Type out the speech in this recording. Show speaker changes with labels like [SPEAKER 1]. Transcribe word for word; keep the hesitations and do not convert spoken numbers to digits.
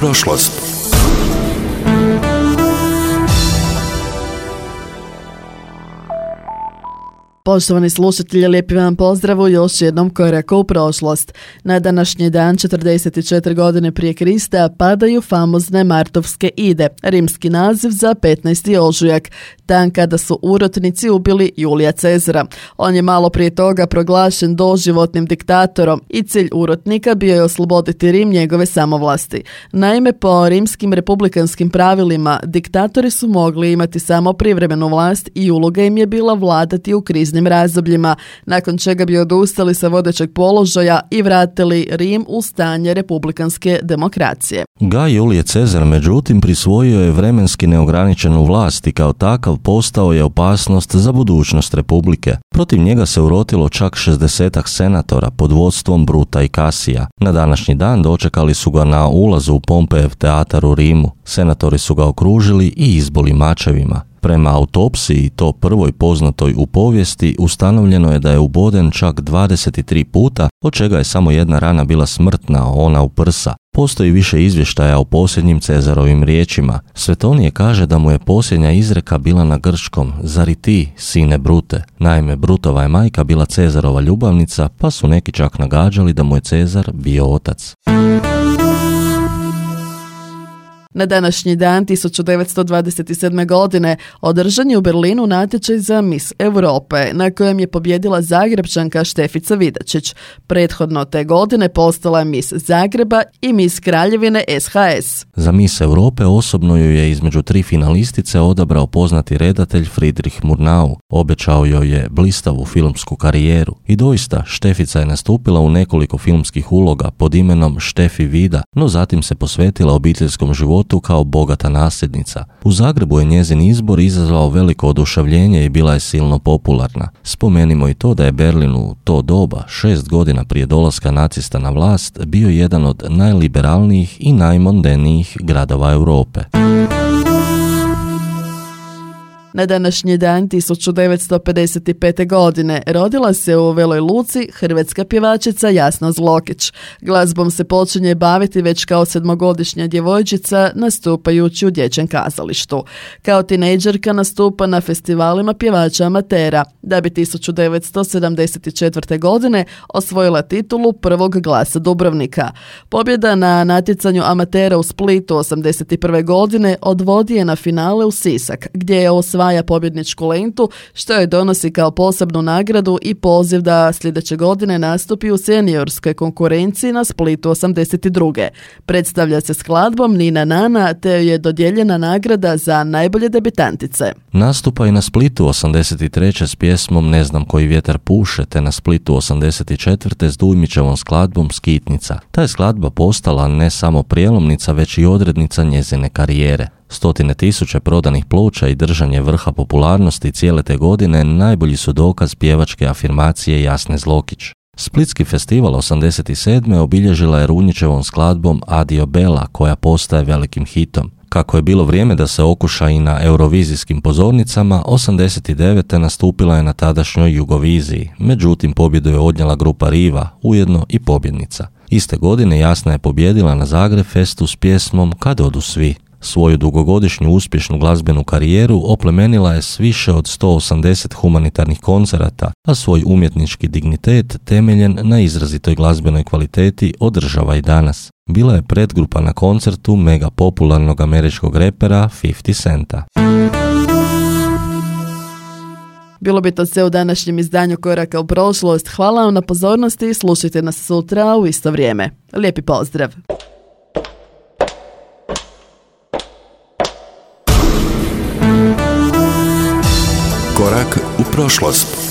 [SPEAKER 1] prošlost.
[SPEAKER 2] Poštovani slušatelji, lijepi vam pozdrav u još jednom koraku u prošlost. Na današnji dan, četrdeset četiri godine prije Krista, padaju famozne Martovske ide, rimski naziv za petnaesti ožujak, dan kada su urotnici ubili Julija Cezara. On je malo prije toga proglašen doživotnim diktatorom i cilj urotnika bio je osloboditi Rim njegove samovlasti. Naime, po rimskim republikanskim pravilima, diktatori su mogli imati samo privremenu vlast i uloga im je bila vladati u kriznim razdobljima, nakon čega bi odustali sa vodećeg položaja i vratili Rim u stanje republikanske demokracije.
[SPEAKER 3] Gaj Julije Cezar, međutim, prisvojio je vremenski neograničenu vlast i kao takav postao je opasnost za budućnost republike. Protiv njega se urotilo čak šezdesetak senatora pod vodstvom Bruta i Kasija. Na današnji dan dočekali su ga na ulazu u Pompejev teatar u Rimu. Senatori su ga okružili i izboli mačevima. Prema autopsiji, to prvoj poznatoj u povijesti, ustanovljeno je da je uboden čak dvadeset tri puta, od čega je samo jedna rana bila smrtna, ona u prsa. Postoji više izvještaja o posljednjim Cezarovim riječima. Svetonije kaže da mu je posljednja izreka bila na grčkom: zar i ti, sine Brute? Naime, Brutova je majka bila Cezarova ljubavnica, pa su neki čak nagađali da mu je Cezar bio otac.
[SPEAKER 2] Na današnji dan tisuću devetsto dvadeset sedme. godine održan je u Berlinu natječaj za Miss Europe, na kojem je pobjedila Zagrebčanka Štefica Vidačić. Prethodno te godine postala je Miss Zagreba i Miss Kraljevine S H S.
[SPEAKER 3] Za Miss Europe osobno ju je između tri finalistice odabrao poznati redatelj Friedrich Murnau. Obećao joj je blistavu filmsku karijeru i doista Štefica je nastupila u nekoliko filmskih uloga pod imenom Štefi Vida, no zatim se posvetila obiteljskom životu kao bogata nasljednica. U Zagrebu je njezin izbor izazvao veliko oduševljenje i bila je silno popularna. Spomenimo i to da je Berlin u to doba, šest godina prije dolaska nacista na vlast, bio jedan od najliberalnijih i najmondenijih gradova Europe.
[SPEAKER 2] Na današnji dan tisuću devetsto pedeset pete. godine rodila se u Veloj Luci hrvatska pjevačica Jasna Zlokić. Glazbom se počinje baviti već kao sedmogodišnja djevojčica nastupajući u dječjem kazalištu. Kao tinejdžerka nastupa na festivalima pjevača amatera, da bi tisuću devetsto sedamdeset četvrte. godine osvojila titulu prvog glasa Dubrovnika. Pobjeda na natjecanju amatera u Splitu osamdeset prve. godine odvodi je na finale u Sisak, gdje je osvojila osvaja pobjedničku lentu, što joj donosi kao posebnu nagradu i poziv da sljedeće godine nastupi u seniorskoj konkurenciji na Splitu osamdeset druge. Predstavlja se skladbom Nina Nana, te je dodijeljena nagrada za najbolje debitantice.
[SPEAKER 3] Nastupa i na Splitu osamdeset treće s pjesmom Ne znam koji vjetar puše, te na Splitu osamdeset četvrte s Dujmićevom skladbom Skitnica. Ta je skladba postala ne samo prijelomnica, već i odrednica njezine karijere. Stotine tisuće prodanih ploča i držanje vrha popularnosti cijele te godine najbolji su dokaz pjevačke afirmacije Jasne Zlokić. Splitski festival osamdeset sedme. obilježila je Runjićevom skladbom Adio Bella, koja postaje velikim hitom. Kako je bilo vrijeme da se okuša i na eurovizijskim pozornicama, osamdeset devete. nastupila je na tadašnjoj Jugoviziji, međutim pobjedu je odnijela grupa Riva, ujedno i pobjednica. Iste godine Jasna je pobjedila na Zagreb Festu s pjesmom Kad odu svi. Svoju dugogodišnju uspješnu glazbenu karijeru oplemenila je s više od sto osamdeset humanitarnih koncerata, a svoj umjetnički dignitet temeljen na izrazitoj glazbenoj kvaliteti održava i danas. Bila je predgrupa na koncertu mega popularnog američkog repera pedeset Centa.
[SPEAKER 2] Bilo bi to sve u današnjem izdanju Koraka u prošlost. Hvala vam na pozornosti i slušajte nas sutra u isto vrijeme. Lijepi pozdrav!
[SPEAKER 1] Korak u prošlost.